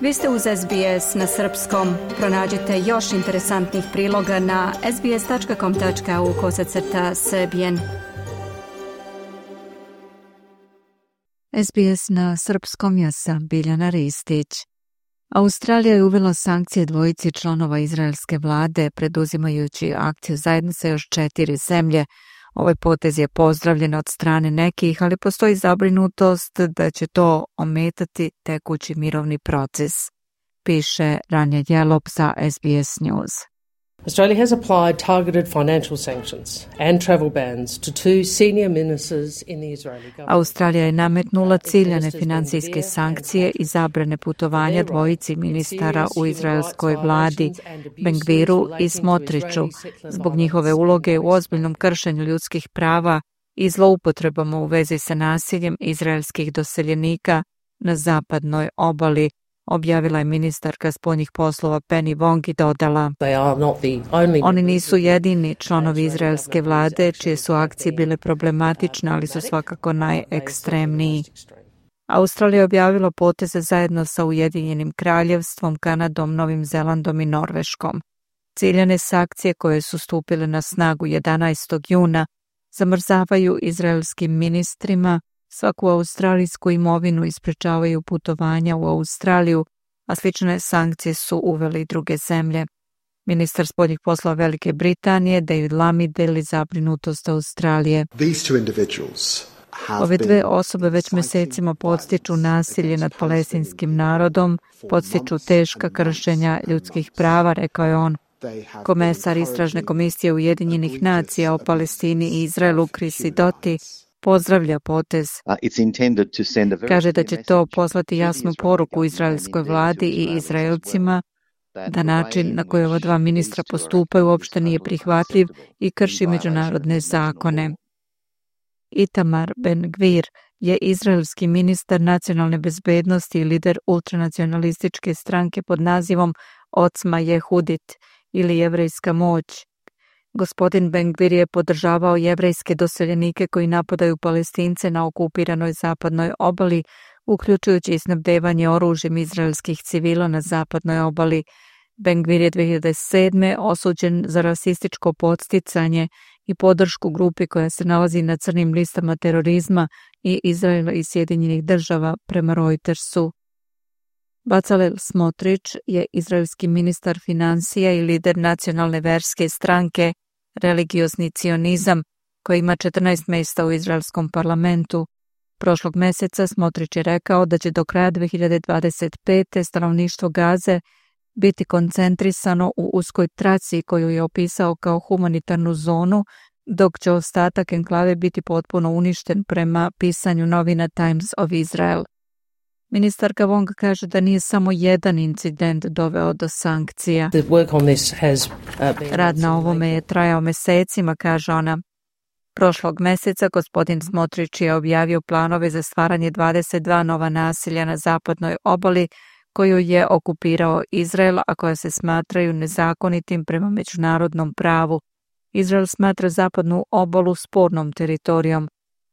Vi ste uz SBS na srpskom. Pronađite još interesantnih priloga na sbs.com.au/srbijen. SBS na srpskom, ja sam Biljana Ristić. Australija je uvela sankcije dvojici članova izraelske vlade, preduzimajući akciju zajedno sa još 4 zemlje. Ovaj potez je pozdravljen od strane nekih, ali postoji zabrinutost da će to ometati tekući mirovni proces, piše Ranja Jelop za SBS News. Australia has applied targeted financial sanctions and travel bans to two senior ministers in the Israeli government. Australija je nametnula ciljane financijske sankcije i zabrane putovanja dvojici ministara u izraelskoj vladi, Ben-Gviru i Smotriću, zbog njihove uloge u ozbiljnom kršenju ljudskih prava i zloupotrebama u vezi sa nasiljem izraelskih doseljenika na zapadnoj obali, objavila je ministarka spoljnih poslova Penny Wong i dodala: Oni nisu jedini članovi izraelske vlade čije su akcije bile problematične, ali su svakako najekstremniji. Australija je objavila poteze zajedno sa Ujedinjenim kraljevstvom, Kanadom, Novim Zelandom i Norveškom. Ciljane sankcije koje su stupile na snagu 11. juna zamrzavaju izraelskim ministrima svaku australijsku imovinu i sprečavaju putovanja u Australiju, a slične sankcije su uveli i druge zemlje. Ministar spoljnih poslova Velike Britanije David Lammy deli zabrinutost Australije. Ove dve osobe već mesecima podstiču nasilje nad palestinskim narodom, podstiču teška kršenja ljudskih prava, rekao je on. Komesar Istražne komisije Ujedinjenih nacija o Palestini i Izraelu Chris Sidoti pozdravlja potez. Kaže da će to poslati jasnu poruku izraelskoj vladi i Izraelcima da način na koji ova dva ministra postupaju uopšte nije prihvatljiv i krši međunarodne zakone. Itamar Ben-Gvir je izraelski ministar nacionalne bezbednosti i lider ultranacionalističke stranke pod nazivom Ocma Jehudit ili Jevrejska moć. Gospodin Ben-Gvir je podržavao jevrejske doseljenike koji napadaju Palestince na okupiranoj zapadnoj obali, uključujući i snabdevanje oružjem izraelskih civila na zapadnoj obali. Ben-Gvir je 2007. osuđen za rasističko podsticanje i podršku grupi koja se nalazi na crnim listama terorizma i Izraela i Sjedinjenih država, prema Reutersu. Bezalel Smotrić je izraelski ministar financija i lider nacionalne verske stranke Religiozni cionizam, koji ima 14 mjesta u izraelskom parlamentu. Prošlog mjeseca Smotrić je rekao da će do kraja 2025. stanovništvo Gaze biti koncentrisano u uskoj traci koju je opisao kao humanitarnu zonu, dok će ostatak enklave biti potpuno uništen prema pisanju novina Times of Israel. Ministarka Wong kaže da nije samo jedan incident doveo do sankcija. Rad na ovome je trajao mesecima, kaže ona. Prošlog mjeseca gospodin Smotrić je objavio planove za stvaranje 22 nova naselja na zapadnoj obali koju je okupirao Izrael, a koja se smatraju nezakonitim prema međunarodnom pravu. Izrael smatra zapadnu obalu spornom teritorijom.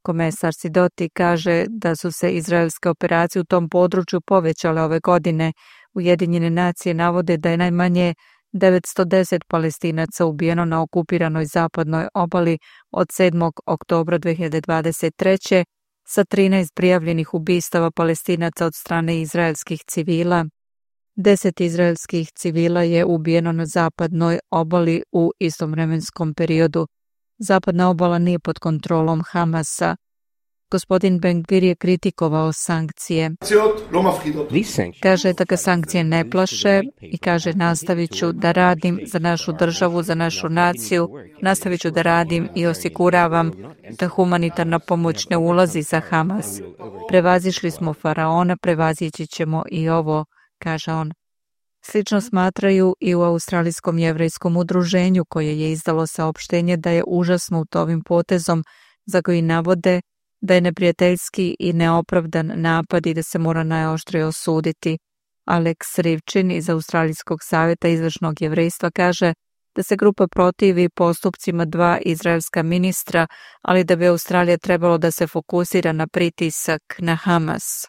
Komesar Sidoti kaže da su se izraelske operacije u tom području povećale ove godine. Ujedinjene nacije navode da je najmanje 910 Palestinaca ubijeno na okupiranoj zapadnoj obali od 7. oktobra 2023. sa 13 prijavljenih ubistava Palestinaca od strane izraelskih civila. 10 izraelskih civila je ubijeno na zapadnoj obali u istom vremenskom periodu. Zapadna obala nije pod kontrolom Hamasa. Gospodin Ben-Gvir je kritikovao sankcije. Kaže da ga sankcije ne plaše i kaže nastavit ću da radim za našu državu, za našu naciju, nastavit ću da radim i osiguravam da humanitarna pomoć ne ulazi za Hamas. Prevazišli smo faraona, prevazići ćemo i ovo, kaže on. Slično smatraju i u Australijskom jevrejskom udruženju koje je izdalo saopštenje da je užasnut ovim potezom za koji navode da je neprijateljski i neopravdan napad i da se mora najoštrije osuditi. Alex Rivčin iz Australijskog savjeta izvršnog jevrejstva kaže da se grupa protivi postupcima 2 izraelska ministra, ali da bi Australija trebalo da se fokusira na pritisak na Hamas.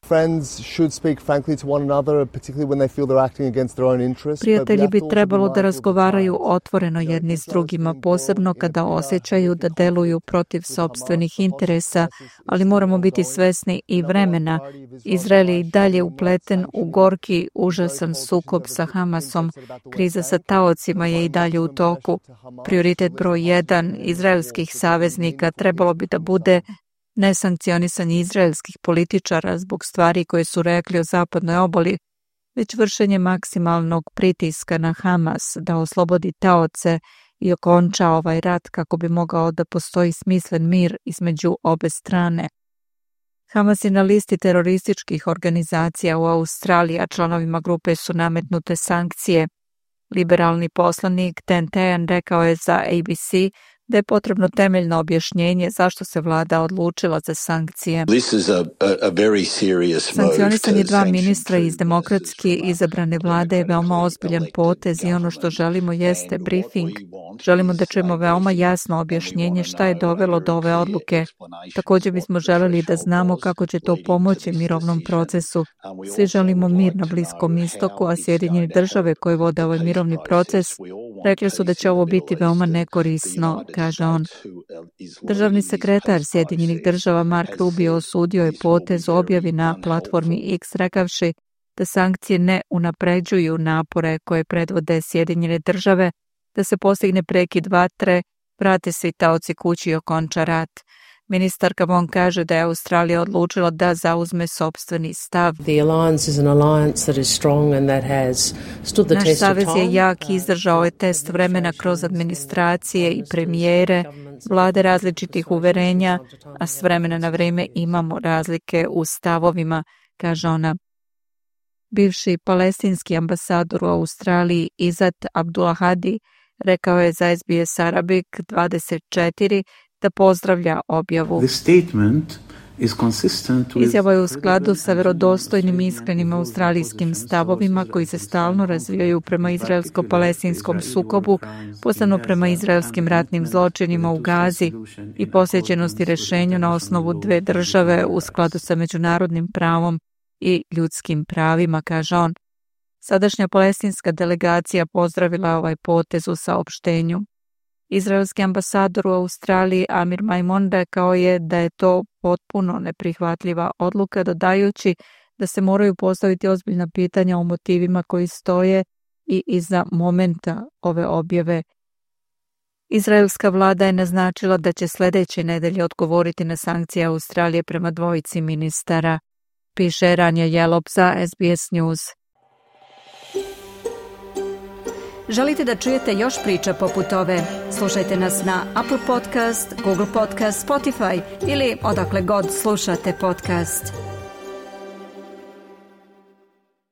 Prijatelji bi trebalo da razgovaraju otvoreno jedni s drugima, posebno kada osjećaju da deluju protiv sopstvenih interesa, ali moramo biti svesni i vremena. Izrael je i dalje upleten u gorki, užasan sukob sa Hamasom. Kriza sa taocima je i dalje u toku. Prioritet broj 1 izraelskih saveznika trebalo bi da bude nesankcionisanje izraelskih političara zbog stvari koje su rekli o zapadnoj obali, već vršenje maksimalnog pritiska na Hamas da oslobodi taoce i okonča ovaj rat kako bi mogao da postoji smislen mir između obe strane. Hamas je na listi terorističkih organizacija u Australiji, a članovima grupe su nametnute sankcije. Liberalni poslanik Dan Tehan rekao je za ABC da je potrebno temeljno objašnjenje zašto se vlada odlučila za sankcije. Sankcionisanje 2 ministra iz demokratski izabrane vlade je veoma ozbiljan potez i ono što želimo jeste briefing. Želimo da čujemo veoma jasno objašnjenje šta je dovelo do ove odluke. Također bismo želeli da znamo kako će to pomoći mirovnom procesu. Svi želimo mir na Bliskom istoku, a Sjedinjene države koje vode ovaj mirovni proces rekli su da će ovo biti veoma nekorisno, kaže on. Državni sekretar Sjedinjenih država Mark Rubio osudio je potez objavi na platformi X rekavši da sankcije ne unapređuju napore koje predvode Sjedinjene države, da se postigne prekid vatre, vrate svi taoci kući i okonča rat. Ministarka Wong kaže da je Australija odlučila da zauzme sopstveni stav. Naš savez je jak i izdržao je test vremena kroz administracije i premijere, vlade različitih uverenja, a s vremena na vrijeme imamo razlike u stavovima, kaže ona. Bivši palestinski ambasador u Australiji Izzat Abdulahadi rekao je za SBS Arabic 24 da pozdravlja objavu. Izjava je u skladu sa vjerodostojnim i iskrenim australijskim stavovima koji se stalno razvijaju prema izraelsko-palestinskom sukobu, posebno prema izraelskim ratnim zločinima u Gazi i posvećenosti rješenju na osnovu 2 države u skladu sa međunarodnim pravom i ljudskim pravima, kaže on. Sadašnja palestinska delegacija pozdravila ovaj potez u saopštenju. Izraelski ambasador u Australiji Amir Maimon rekao je da je to potpuno neprihvatljiva odluka, dodajući da se moraju postaviti ozbiljna pitanja o motivima koji stoje i iza momenta ove objave. Izraelska vlada je naznačila da će sljedeće nedelje odgovoriti na sankcije Australije prema 2 ministara, piše Ranja Jelop za SBS News. Želite da čujete još priča poput ove? Slušajte nas na Apple Podcast, Google Podcast, Spotify ili odakle god slušate podcast.